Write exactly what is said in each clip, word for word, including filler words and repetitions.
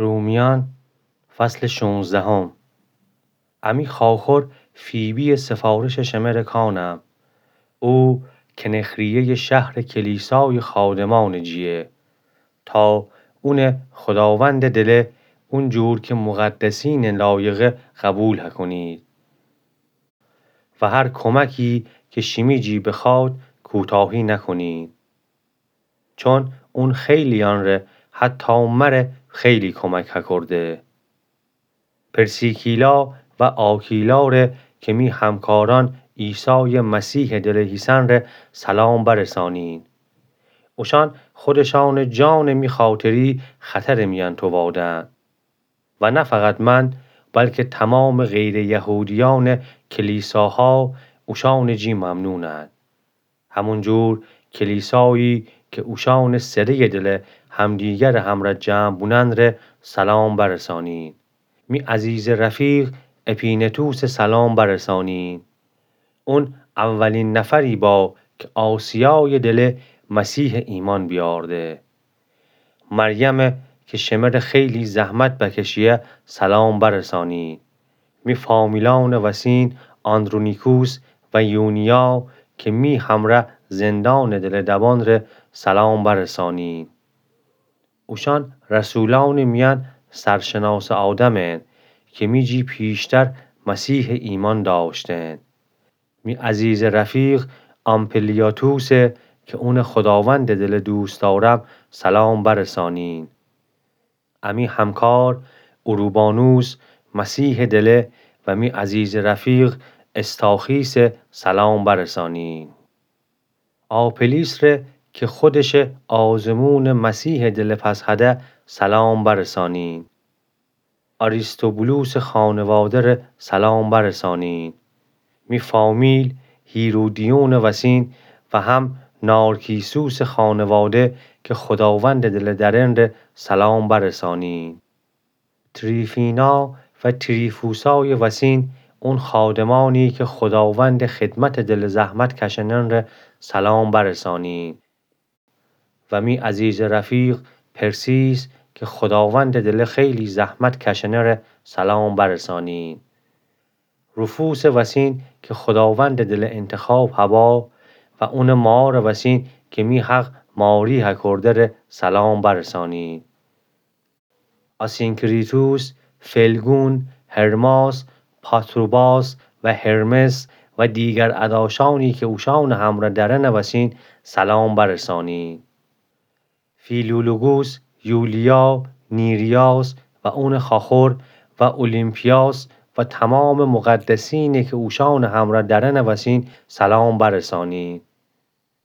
رومیأن، فصل شونزدهم. امی خواخور فیبی‌یٚ سفارشٚ شمره کانم. او کنخریه‌یٚ شهرٚ کلیسایٚ خادمأنٚ جیه، تا اونٚ خوداوندٚ دله اونجور کی مقدسینٚ لایقه قوبیل هکونید و هر کمکی کی شیمی جی بخوأد کوتاهی نکونید. چون اون خیلی‌یأنره، حتی مره، خیلی کمک هکورده. پرسیکیلا و آکیلاره کی می همکارأن عیسایٚ مسیحٚ دله هیسن ره سلام برسانین. اوشأن خودشأنٚ جانٚ می خاطری خطرٚ میأن تووادن. و نه فقط من، بلکه تمامٚ غیرٚیهودیأنٚ کلیساها اوشأنٚ جی ممنونند. همونجور کلیسایی کی اوشأنٚ سره‌یٚ دله همدیگرٚ همرأ جمع بونن ره سلام برسانین. می عزیزٚ رفیق اپینتوسه سلام برسانین. اون اولین نفری با کی آسیایٚ دله مسیحٚ ایمأن بیأرده. مریمه کی شمره خیلی زحمت بکشیه سلام برسانین. می فامیلأنٚ وسین آندرونیکوس و یونیا کی می همرأ زندانٚ دله دبان ره سلام برسانین. اوشأن رسولأنٚ میأن سرشناسٚ آدمند کی می جی پیشتر مسیحٚ ایمأن دأشتند. می عزیزٚ رفیق آمپلیاتوسه کی اونٚ خوداوندٚ دله دوست دأرم سلام برسانین. امی همکار اوروبانوس مسیحٚ دله و می عزیزٚ رفیق استاخیسه سلام برسانین. آپلیس ره کی خودشه آزمونٚ مسیحٚ دله پس هده سلام برسانین. آریستوبولوسٚ خانواده ره سلام برسانین. می فامیل هیرودیونٚ وسین و هم نارکیسوسٚ خانواده کی خوداوندٚ دله درن ره سلام برسانین. تریفینا و تریفوسایٚ وسین اون خادمأنی کی خوداوندٚ خدمتٚ دله زحمت کشنن ره سلام برسانین. و می عزیزٚ رفیق پرسیس کی خوداوندٚ دله خیلی زحمت کشنه ره سلام برسانین. روفوسٚ وسین کی خوداوندٚ دله انتخاب هبا و اونٚ مارٚ وسین کی می حق ماری هکورده ره سلام برسانین. آسینکریتوس، فلگون، هرماس، پاتروباس و هرمس و دیگر اداشأنی کی اوشأنٚ همرأ درنٚ وسین سلام برسانین. فیلولوگوس، یولیا، نیریاس و اونٚ خواخور و اولیمپیاس و تمامٚ مقدسینی کی اوشأنٚ همرأ درنٚ وسین سلام برسانین.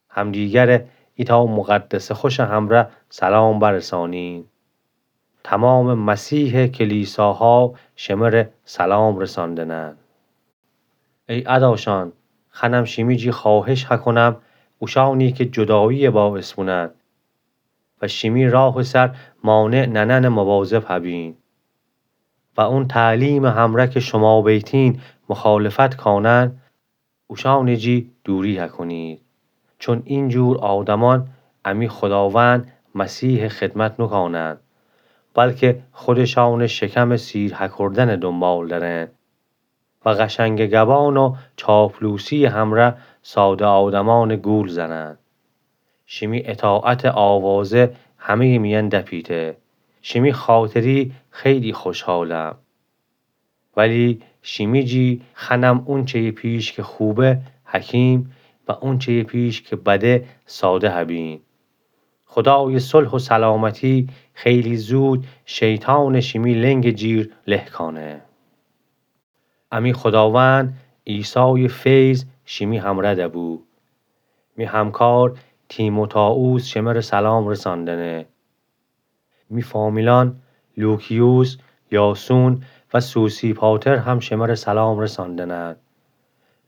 همدیگره ایتأ مقدسٚ خوشٚ همرأ سلام برسانین. تمامٚ مسیحٚ کلیساها شمره سلام رساندنن. ای اداشأن، خأنم شیمی جی خواهش هکونم، اوشأنی کی جدایی باعث بونن و شیمی راهٚ سر مانع ننن مواظب هبین و اون تعلیمٚ همرأ کی شوما بیتین مخالفت کانن، اوشأنٚ جی دوری هکونید. چون اینجور آدمأن امی خوداوند مسیحٚ خدمت نوکانند، بلکه خودشأنٚ شکمٚ سیر هکردنٚ دونبال درند و قشنگٚ گبان و چاپلوسی‌یٚ همرأ ساده آدمأنٚ گول زنند. شیمی اطاعتٚ آوازه همه‌یٚ میأن دپیته. شیمی خاطری خیلی خوشحالم. ولی شیمی جی خأنم اونچه‌یٚ پیش کی خوبه حکیم و اونچه‌یٚ پیش کی بده ساده هبین. خودایٚ صلح و سلامتی خیلی زود شیطانٚ شیمی لنگٚ جیر له کانه. امی خوداوند عیسایٚ فیض شیمی همرأ دبو. می همکار تیموتائوس شمره سلام رساندنه. می فامیلأن لوکیوس، یاسون و سوسیپاتر هم شمره سلام رساندنن.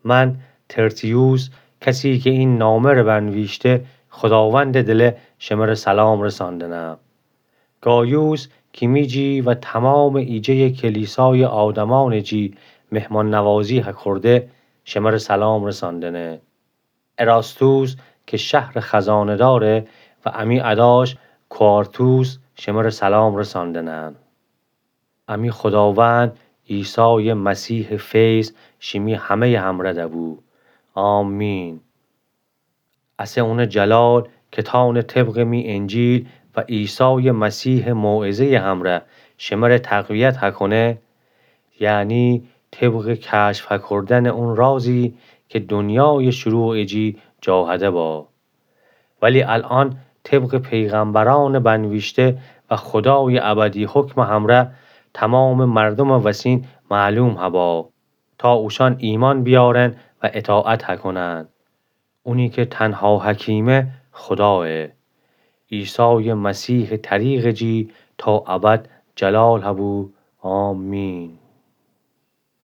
من ترتیوس، کسی کی این نامه‌ره بنویشته، خوداوندٚ دله شمره سلام رساندنم. گایوس کی می جی و تمامٚ ایجه‌یٚ کلیسایٚ آدمأنٚ جی مهمان‌نوازی هکرده، شمره سلام رساندنه. اراستوس کی شهرٚ خزانه‌داره و امی اداش کوارتوس شمره سلام رساندنن. امی خوداوند عیسایٚ مسیحٚ فیض شیمی همه‌یٚ همره دبو. آمین. اسه اونٚ جلال کتانٚ طبقٚ می انجیل و عیسایٚ مسیحٚ موعظه‌یٚ همره شمره تقویت هکونه، یعنی طبقٚ کشف هکردنٚ اون رازی کی دنیایٚ شروعٚ جی جاهده با. ولی الأن طبقٚ پیغمبرأنٚ بنویشته و خودایٚ ابدی حکمٚ همره تومامٚ مردومٚ وسین معلوم هبا، تا اوشأن ایمأن بیأرن و اطاعت هکونن. اونی کی تنها حکیمه خودایه. عیسایٚ مسیحٚ طریقٚ جی تا ابد جلال هبو. آمین.